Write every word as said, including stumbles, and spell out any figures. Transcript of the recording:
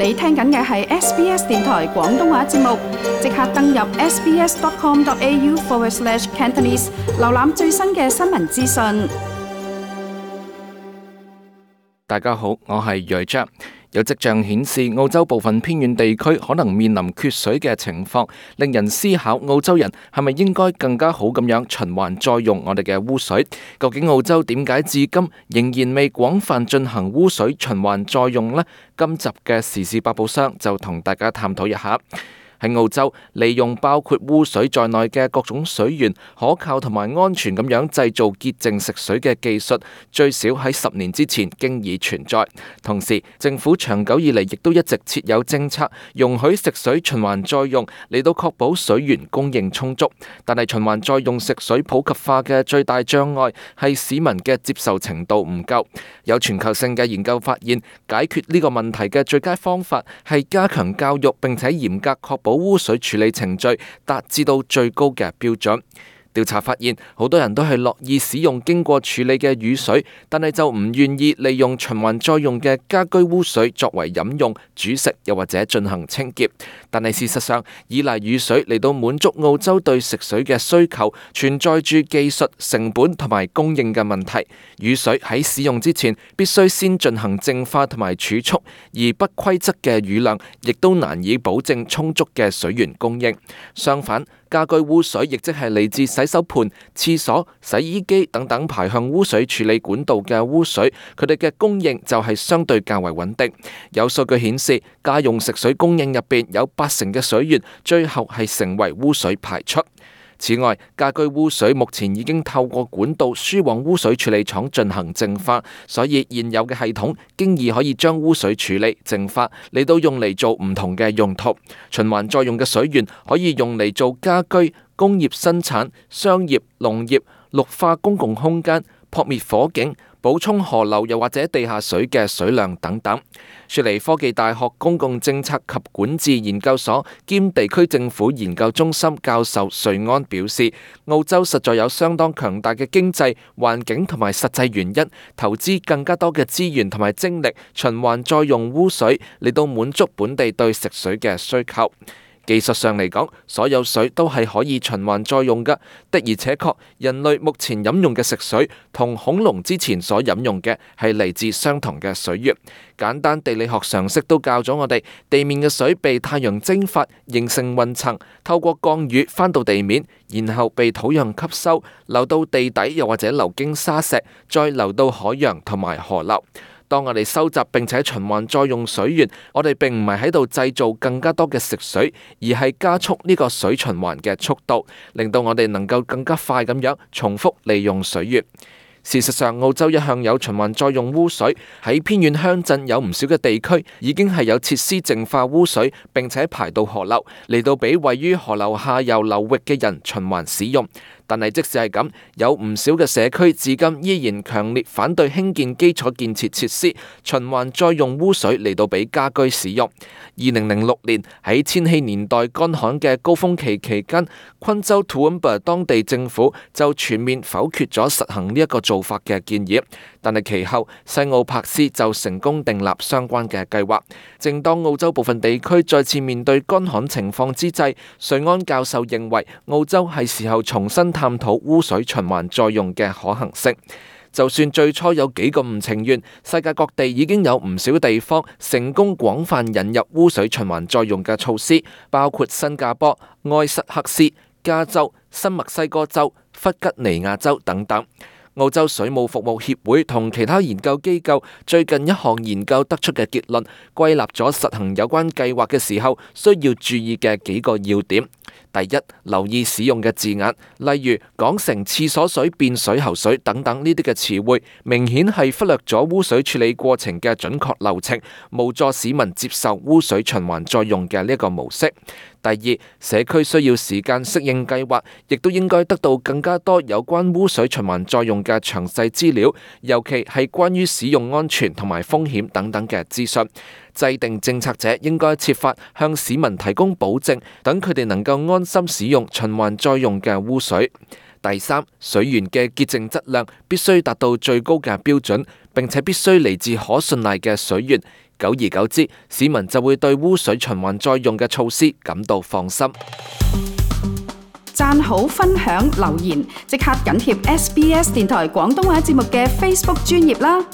你聽緊嘅係 S B S 電台廣東話節目，即刻登入 sbs.com.au forward slash Cantonese， 瀏覽最新嘅新聞資訊。大家好，我係瑞章。有跡象顯示，澳洲部分偏遠地區可能面臨缺水嘅情況，令人思考澳洲人係咪應該更加好咁樣循環再用我哋嘅污水？究竟澳洲點解至今仍然未廣泛進行污水循環再用呢？今集嘅時事百寶箱就同大家探討一下。喺澳洲，利用包括污水在內嘅各種水源，可靠同埋安全咁樣製造潔淨食水嘅技術，最少喺十年之前經已存在。同時，政府長久以嚟亦都一直設有政策，容許食水循環再用，嚟到確保水源供應充足。但係循環再用食水普及化嘅最大障礙係市民嘅接受程度唔夠。有全球性嘅研究發現，解決呢個問題嘅最佳方法係加強教育，並且嚴格確保污水處理程序達至到最高嘅標準。調查發現，好多人都係樂意使用經過處理嘅雨水，但係就唔願意利用循環再用嘅家居污水作為飲用、煮食又或者進行清潔。但係事實上，依賴雨水嚟到滿足澳洲對食水嘅需求，存在住技術、成本同埋供應嘅問題。雨水喺使用之前必須先進行淨化同埋儲蓄，而不規則嘅雨量亦都難以保證充足嘅水源供應。相反，家居污水亦即係嚟自洗手盆、廁所、洗衣機等等排向污水處理管道嘅污水，佢哋嘅供應就係相對較為穩定。有數據顯示，家用食水供應入邊有八成嘅水源最後係成為污水排出。此外，家居污水目前已經透過管道輸往污水處理廠進行淨化，所以現有嘅系統經已可以將污水處理淨化嚟到用嚟做唔同嘅用途。循環再用嘅水源可以用嚟做家居、工業生產、商業、農業、綠化公共空間、撲滅火警、補充河流又或者地下水嘅水量等等。雪梨科技大學公共政策及管治研究所兼地區政府研究中心教授瑞安表示，澳洲實在有相當強大嘅經濟、環境同埋實際原因，投資更加多嘅資源同埋精力循環再用污水嚟到滿足本地對食水嘅需求。技術上嚟講，所有水都係可以循環再用㗎。的而且確，人類目前飲用嘅食水同恐龍之前所飲用嘅係嚟自相同嘅水源。簡單地理學常識都教咗我哋，地面嘅水被太陽蒸發，形成雲層，透過降雨返到地面，然後被土壤吸收，流到地底又或者流經沙石，再流到海洋同埋河流。當我哋收集並且循環再用水源，我哋並唔係喺度製造更加多嘅食水，而係加速呢個水循環嘅速度，令到我哋能夠更加快咁樣重複利用水源。事實上，澳洲一向有循環再用污水，喺偏遠鄉鎮有唔少嘅地區已經係有設施淨化污水，並且排到河流，嚟到俾位於河流下游流域嘅人循環使用。但係即使係咁，有唔少嘅社區至今依然強烈反對興建基礎建設設施，循環再用污水嚟到俾家居使用。二零零六年喺千禧年代乾旱嘅高峰期期間，昆州 Toowoomba 當地政府就全面否決咗實行呢一個做法嘅建議。但係其後西澳柏斯就成功訂立相關嘅計劃。正當澳洲部分地區再次面對乾旱情況之際，瑞安教授認為澳洲係時候重新探討污水循環再用嘅可行性。就算最初有幾個唔情願，世界各地已經有唔少地方成功廣泛引入污水循環再用嘅措施，包括新加坡、埃塞克斯、加州、新墨西哥州、弗吉尼亞州等等。澳洲水務服務協會同其他研究機構最近一項研究得出嘅結論，歸納咗實行有關計劃嘅時候需要注意嘅幾個要點。第一，留意使用嘅字眼，例如講成廁所水變水喉水等等呢啲嘅詞彙，明顯係忽略咗污水處理過程嘅準確流程，無助市民接受污水循環再用嘅呢一個模式。第二，社區需要時間適應計劃，亦都應該得到更加多有關污水循環再用嘅詳細資料，尤其係關於使用安全同埋風險等等嘅資訊。制定政策者應該設法向市民提供保證，等佢哋能夠安心使用循環再用嘅污水。第三，水源嘅潔淨質量必須達到最高嘅標準，並且必須嚟自可信賴嘅水源。久而久之，市民就會對污水循環再用嘅措施感到放心。讚好、分享、留言，即刻緊貼 S B S 電台廣東話節目嘅 Facebook 專頁啦！